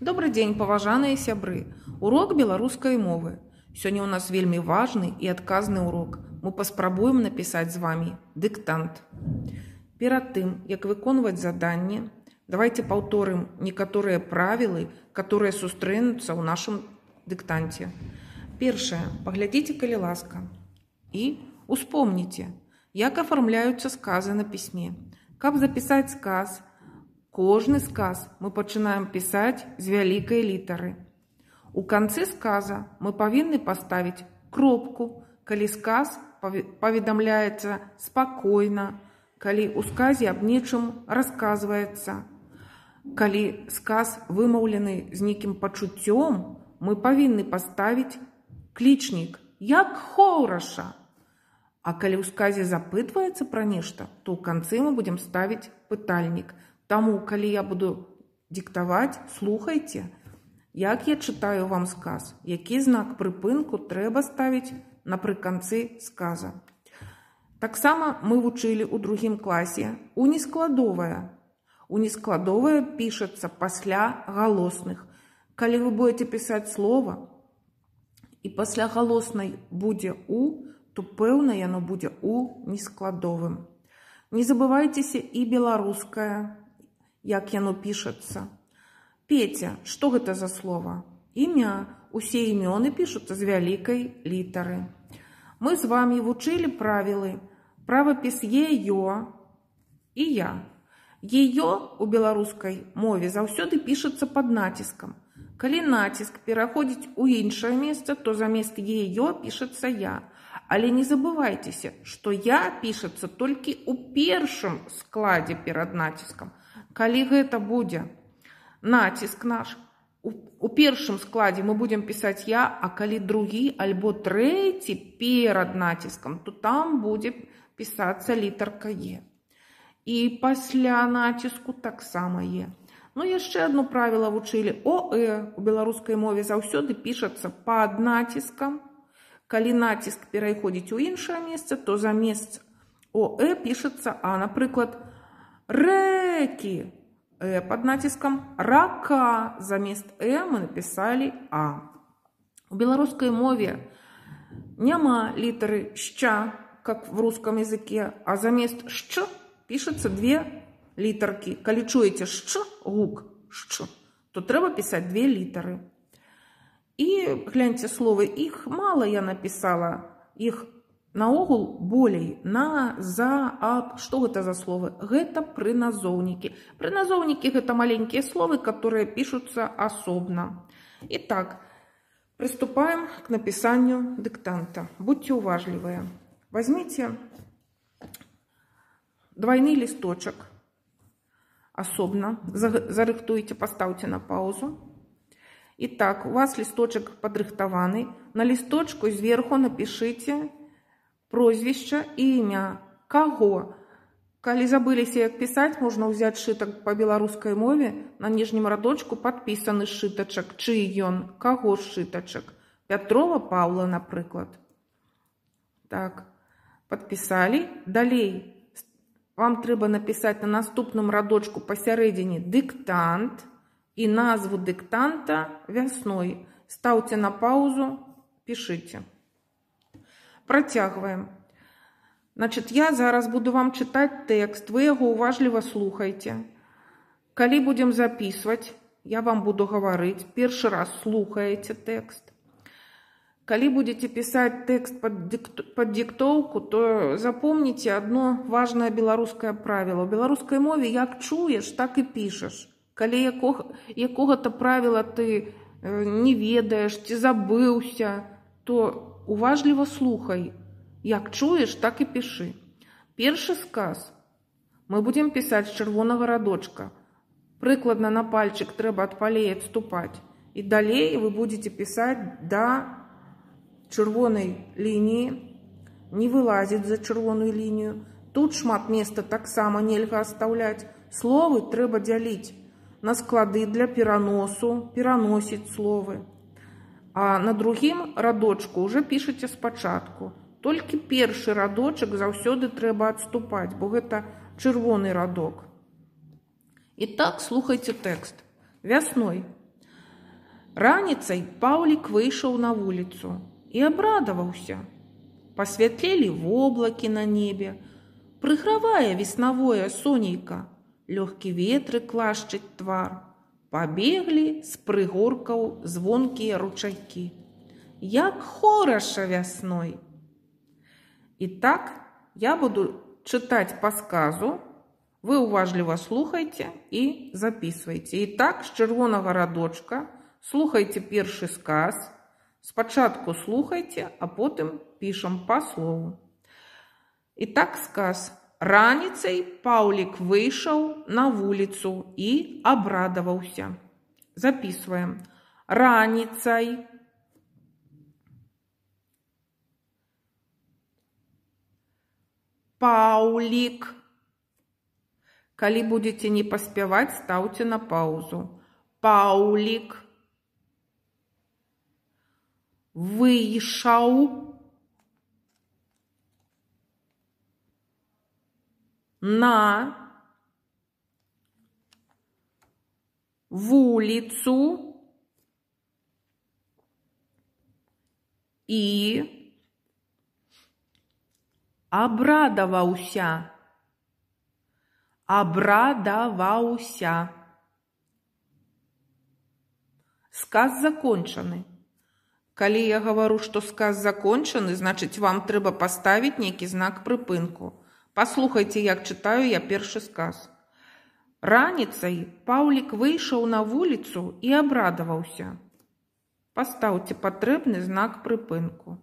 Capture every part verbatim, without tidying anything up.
Добрый дзень, паважаныя сябры. Урок беларускай мовы. Сёння ў нас вельмі важны і адказны урок. Мы паспрабуем напісаць з вами дыктант. Перад тым, як выконваць заданне, давайте паўторым некаторыя правілы, которые сустрэнуцца ў нашым дыктанце. Першае, паглядзіце, калі ласка. І успомніце, як афармляюцца сказы на пісьме. Каб запісаць сказ, кожны сказ мы пачынаем пісаць з вялікай літары. У канцы сказа мы павінны паставіць кропку, калі сказ паведамляецца спакойна, калі ў сказе аб нечым расказваецца. Калі сказ вымаўлены з нейкім пачуццём, мы павінны паставіць клічнік «як хораша». А калі ў сказе запытваецца пра нешта, то ў канцы мы будзем ставіць пытальнік. Таму, калі я буду диктаваць, слухайце, як я чытаю вам сказ, які знак прыпынку трэба ставіць напрыканцы сказа. Таксама мы вучылі ў другім класе унескладовае. Унескладовае пішацца пасля галосных. Калі вы будете пісаць слова, і пасля галоснай будзе «у», то пэўна яно будзе «у» нескладовым. Не забывайцеся і беларускае, як яно пішацца. Петя, што гэта за слова? Імя. Усе імёны пішуцца з вялікай літары. Мы з вами вучылі правілы. Правапіс «е-ё» і «я». «Е-ё» у беларускай мове заўсёды пішацца пад націскам. Калі націск пераходзіць у іншае месца, то замест «е-ё» пішацца «я». Але не забывайцеся, што «я» пішацца толькі ў першым складзе перад націскам. Калі гэта будзе націск наш, у першым складзе мы будзем пісаць «я», а калі другі альбо трэці перад націскам, то там будзе пісацца літарка «е». І пасля націску таксама «е». Ну, яшчэ одно правіла вучылі. «О-э» у беларускай мове заўсёды пішацца пад націскам. Калі націск пераходзіць у іншае месца, то замест «о-э» пішацца «а». Напрыклад, рэкі э пад націскам, рака замест «э» мы напісалі «а». У беларускай мове няма літары «ща», как в русском языке, а замест «щ» пішацца две літаркі. Калі чуеце «щ», гук «щ», то трэба пісаць две літары. І гляньце словы, іх мала я напісала, іх наогул болей, на, за, аб. Што гэта за словы? Гэта прыназоўнікі. Прыназоўнікі – гэта маленькія словы, которые пішуцца асобна. Итак, приступаем к написанию диктанта. Будьте уважливые. Возьмите двойный листочек особно, зарыхтуйте, поставьте на паузу. Итак, у вас листочек подрыхтованы. На листочку сверху напишите прозвище и имя. Кого? Калі забыліся, як пісаць, можна ўзяць сшытак па беларускай мове. На ніжнім радочку падпісаны сшытачак. Чый ён? Каго сшытачак? Пятрова Паўла, напрыклад. Так, падпісалі. Далей вам трэба напісаць на наступным радочку пасярэдзіне дыктант і назву дыктанта вясной. Стаўце на паузу, пішыце. Працягваем. Значит, я зараз буду вам читать текст, вы его уважливо слухайте. Калі будем записывать, я вам буду говорить, первый раз слухаете текст. Калі будете писать текст под, дикт... под диктовку, то запомните одно важное белорусское правило. В белорусской мове як чуешь, так и пишешь. Калі якого... якого-то правила ты не ведаешь, ты забыўся, то уважливо слухай. Як чуеш, так і пішы. Першы сказ мы будем пісаць з чырвонага радочка. Прыкладна на пальчик трэба ад палей адступаць. І далей вы будете пісаць да чырвонай лініі, не вылазіць за чырвоную лінію. Тут шмат места таксама нельга оставляць. Словы трэба дзяліць на склады для пераносу, пераносіць словы. А на другім радочку уже пішыце спачатку. Толькі першы радочак заўсёды трэба адступаць, бо гэта чырвоны радок. І так слухайце тэкст. Вясной Раніцай Паўлік выйшаў на вуліцу і абрадаваўся. Пасвятлелі воблакі на небе, прыгравае веснавое сонейка, лёгкі ветрык лашчыць твар, пабеглі з прыгоркаў звонкія ручайкі. Як хораша вясной! І так я буду чытаць па сказу, вы уважліва слухайце і записывайте. І так, з чырвонага радочка слухайце першы сказ, спачатку слухайце, а потым пішам па слову. І так сказ. Раніцай Паўлік выйшаў на вуліцу і абрадаваўся. Записываем. Раніцай Паўлік. Калі будете не паспяваць, стаўце на паузу. Паўлік выйшаў на вуліцу і абрадаваўся. Абрадаваўся. Сказ закончаны. Калі я гавару, што сказ закончаны, значыць, вам трэба паставіць нейкі знак прыпынку. Паслухайце, як чытаю я першы сказ. Раніцай Паўлік выйшаў на вуліцу і абрадаваўся. Пастаўце патрэбны знак прыпынку.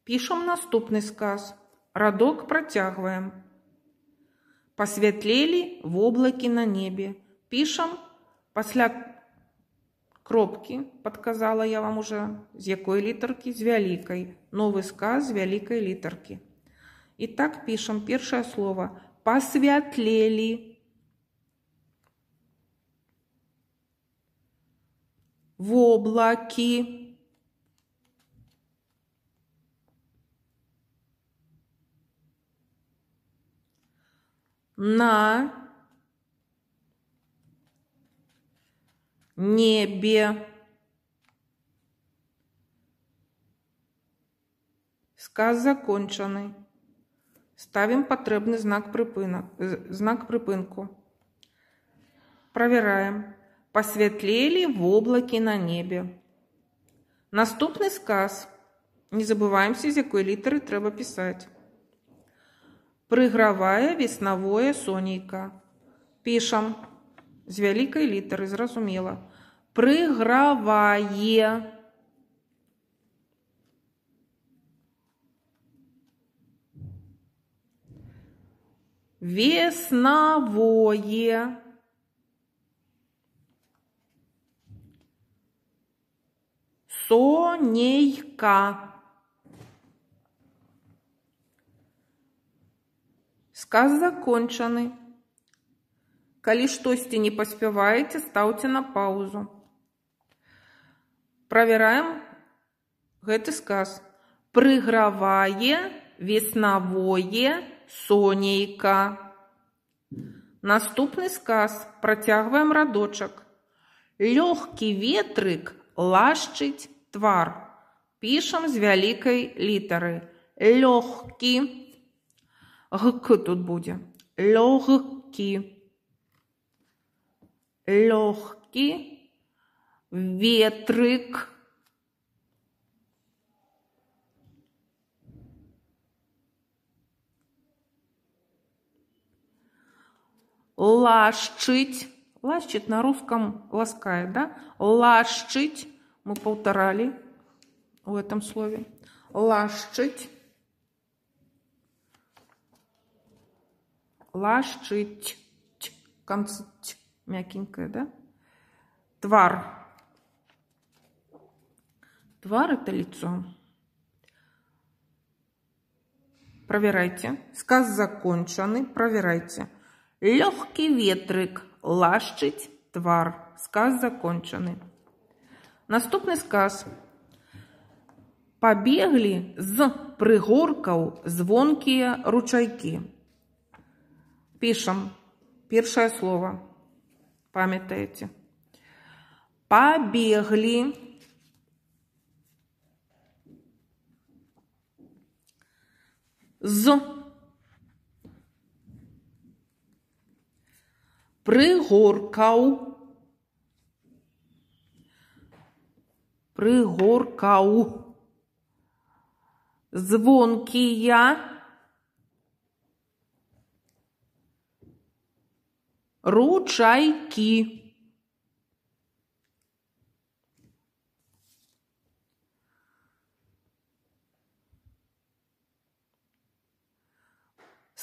Пішам наступны сказ. Радок працягваем. Пасвятлелі воблакі на небе. Пішам пасля кропкі, падказала я вам уже, з якой літаркі? З вялікай. Новы сказ з вялікай літаркі. І так пішам першае слово. Пасвятлелі воблакі на небе. Сказ закончаны. Ставим патрэбны знак прыпынак, знак прыпынку. Проверяем. Пасвятлелі воблакі на небе. Наступны сказ. Не забываемся, з якой літары трэба пісаць. Прыгравае веснавое сонейка. Пішам з вялікай літары, зразумела. Прыгравае веснавое сонейка. Сказ закончаны. Калі штосьці не паспяваеце, стаўце на паузу. Правераем гэты сказ. Прыгравае веснавое сонейка. Наступны сказ. Працягваем радочак. Лёгкі ветрык лашчыць твар. Пішам з вялікай літары. Лёгкі. Гк тут будзе. Лёгкі. Лёгкі ветрык лашчыць. Лашчыць на русском ласкает, да? Лашчыць. Мы повторали в этом слове. Лашчыць. Лашчыць. Концы мягенькое, да? Твар. Твар — это лицо. Проверяйте. Сказ закончаны. Проверяйте. Лёгкий ветрык лашчыць твар. Сказ закончаны. Наступны сказ. Пабеглі з прыгоркаў звонкія ручайкі. Пишем. Першее слово. Памятаете. Побегли. З. Пригоркав. Пригоркав. Звонкія. Ручайки.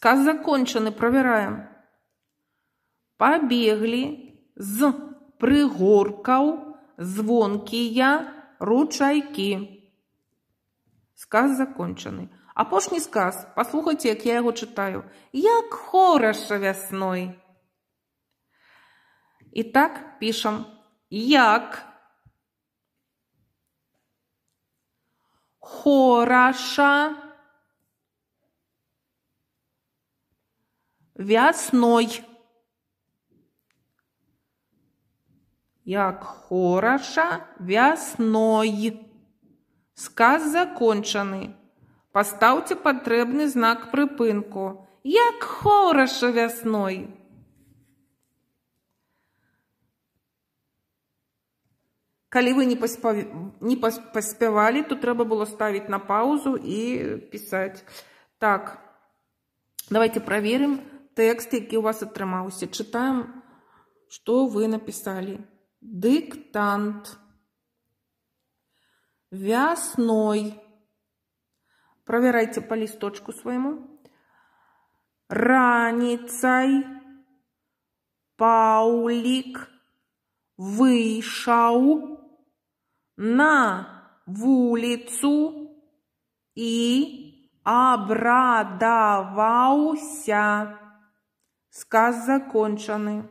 Сказ закончены. Проверяем. Побегли з пригоркаў звонкія ручайки. Сказ закончены. Апошні сказ. Послухайте, як я його читаю. Як хорошо весной. Итак, пишем. Як хорошо весной. Як хорошо весной. Сказ закончений. Поставте потрібний знак припинку. Як хорошо весной. Коли ви не, поспав... не поспівали, то треба було ставити на паузу і писати. Так, давайте проверим текст, який у вас отримався. Читаємо, що ви написали. Диктант. Весной. Проверяйте по листочку своему. Раницей Паулик вышел на вулицу и обрадовался. Сказ закончены.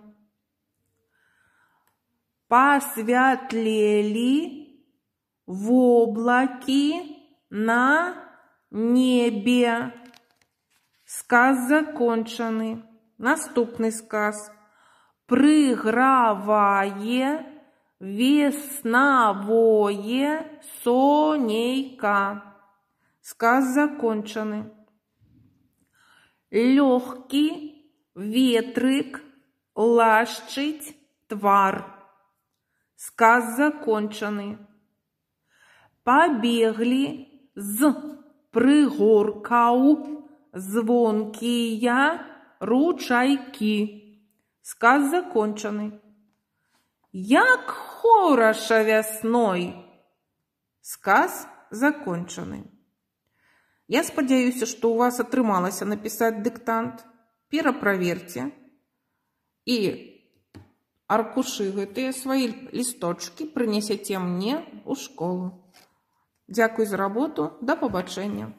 Посветлели в облаке на небе. Сказ закончены. Наступний сказ. Приграває весновое сонейка. Сказ закончений. Легкий ветрик лащить твар. Сказ закончений. Побегли з пригоркаў звонкія ручайки. Сказ закончений. Як хорошо весной. Сказ закончений. Я сподіваюся, що у вас отрималося написати диктант. Перепроверьте. І аркушируйте свої листочки, принесете мені у школу. Дякую за роботу. До побачення.